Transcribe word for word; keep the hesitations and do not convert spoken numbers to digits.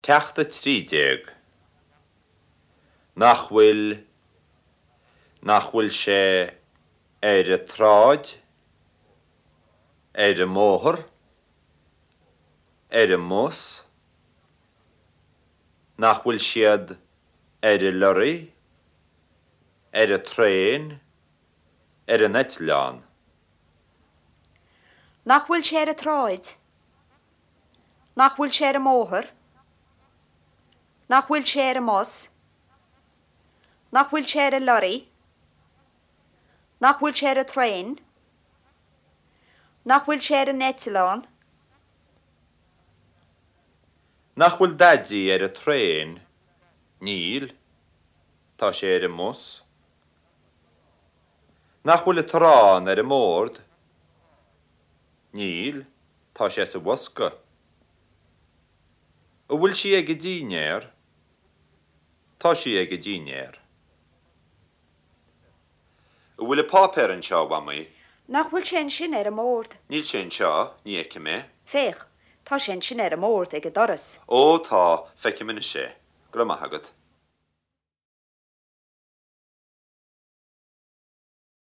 Ceacht a trí déag. Nach bhfuil, nach bhfuil sé ar an tsráid, ar an mbóthar, ar an mbus, nach bhfuil siad ar an lorry, ar an traein, ar an eitleán. Nach bhfuil sé ar an tsráid? Nach bhfuil sé ar an mbóthar? Nach bhfuil sé ar an mbus? Nach bhfuil sé ar an lorry? Nach bhfuil sé ar an traein? Nach bhfuil sé ar an eitleán? Nach bhfuil Daidí ar an traein? Níl. Tá sé ar an mbus. Nach bhfuil an t-arán ar an mbord? Níl, tá sé sa bhosca. An bhfuil sí ag an dinnéar? Tá sí ag an dinnéar. An bhfuil an páipéar anseo, a Mhamaí? Nach bhfuil sé ansin ar an mbord? Níl sé anseo, ní fheicim é. Féach, tá sé ansin ar an mbord ag an doras. Ó tá, feicim anois é. Go raibh maith agat.